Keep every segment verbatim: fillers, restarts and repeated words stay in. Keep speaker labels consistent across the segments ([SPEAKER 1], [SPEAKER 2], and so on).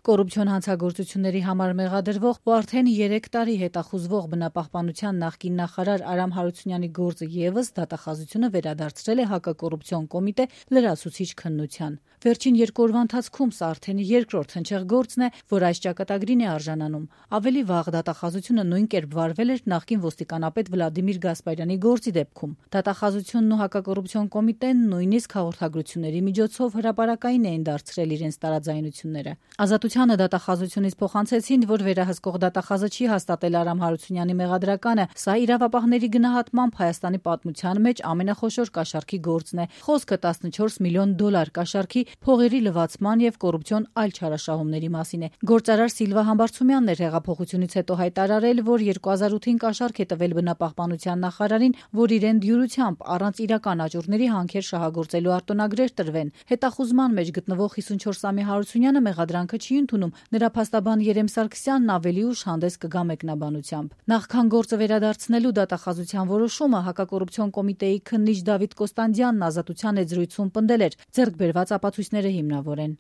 [SPEAKER 1] Կոռուպցիոն հանցագործությունների համար մեղադրվող ու արդեն երեք տարի հետախուզվող բնապահպանության նախկին նախարար Արամ Հարությունյանի գործը ևս դատախազությունը վերադարձրել է հակակոռուպցիոն կոմիտե լրացուցիչ քննության։ Վերջին երկու օրվա ընթացքում սա արդեն երկրորդ հնչեղ գործն է, որ այս ճակատագրին է արժանանում։ Ավելի վաղ դատախազությունը նույն կերպ վարվել էր նախկին ոստիկանապետ Վլադիմիր Գասպարյանի գործի դեպքում։ Դատախազությունն ու հակակոռուպցիոն կոմիտեն նույնիսկ հաղորդագրությունների միջոցով հրապարակային էին դարձրել իրենց տարաձայնությունները։ Ազատությանը դատախազությունից փոխանցեցին, որ վերահսկող դատախազը չի հաստատել Արամ Հարությունյանի մեղադրականը, սա իրավապահների գնահատմամբ Հայաստանի պատմության մեջ ամենախոշոր կաշառքի գործն է։ Խոսքը տասնչորս միլիոն դոլար կաշառքի, փողերի լվացման եւ կոռուպցիոն այլ չարաշահումների մասին է։ Գործարար Սիլվա Համբարձումյանն էր հեղափոխությունից հետո հայտարարել, որ երկու հազար ութին կաշառք է տվել բնապահպանության նախարարին, որ իրեն դյուրությամբ առանց իրական աճուրների հանքեր շահագործելու արտոնագրեր տրվեն։ Հետախուզման մեջ գտնվող հիսունչորսամյա Հարությունյանը մեղադրանքը չի ընդունում, նրա փաստաբան Երեմ Սարգսյանն ավելի ուշ հանդես կգա մեկնաբանությամբ։ Նախքան գործը վերադարձնելու դատախազության որոշումը հակակոռուպցիոն կոմիտեի քննիչ Դավիթ Կոստանդյանն Ազատության հետ զրույցում պնդել էր, ձեռք բերված ապացույցները հիմնավոր են։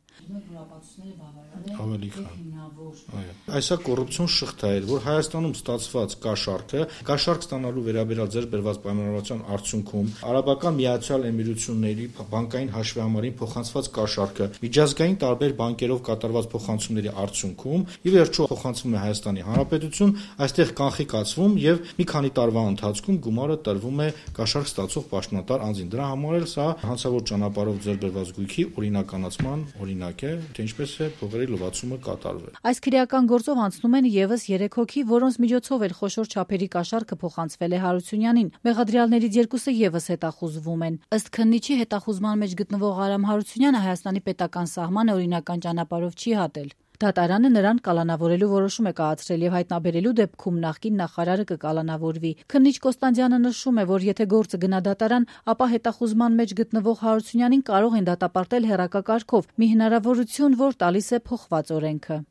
[SPEAKER 2] Ավելի Այսա կոռուպցիոն շղթա էր, որ Հայաստանում ստացված կաշառքը, կաշառք ստանալու վերաբերյալ ձեռք բերված պայմանավորվածության արդյունքում Արաբական Միացյալ Էմիրությունների բանկային հաշվեհամարին փոխանցված կաշառքը, միջազգային տարբեր բանկերով կատարված փոխանցումների արդյունքում ի վերջո փոխանցվում է Հայաստանի Հանրապետություն, այստեղ կանխիկացվում եւ մի քանի տարվա ընթացքում գումարը տրվում է կաշառք ստացող պաշտոնատար անձին։ Դրա համար էլ սա հանցավոր ճանապարհով ձեռք բերված գույքի օրինականացման օրինակ է, թե ինչպես է փողերի լվացումը կատարվել։
[SPEAKER 1] Այս քրեական գործով անցնում են ևս երեք հոգի, որոնց միջոցով էլ խոշոր չափերի կաշառքը փոխանցվել է Հարությունյանին։ Մեղադրյալներից երկուսը ևս հետախուզվում են։ Ըստ քննիչի, հետախուզման մեջ գտնվող Արամ Հարությունյանը Հայաստանի պետական սահմանը օրինական ճանապարհով չի հատել։ Դատարանը նրան կալանավորելու որոշում է կայացրել եւ հայտնաբերելու դեպքում նախկին նախարարը կկալանավորվի։ Քննիչ Կոստանդյանը նշում է, որ եթե գործը գնա դատարան, ապա հետախուզման մեջ գտնվող Հարությունյանին կարող են դատապարտել հեռակա կարգով՝ մի հնարավորություն, որ տալիս է փոխված օրենքը։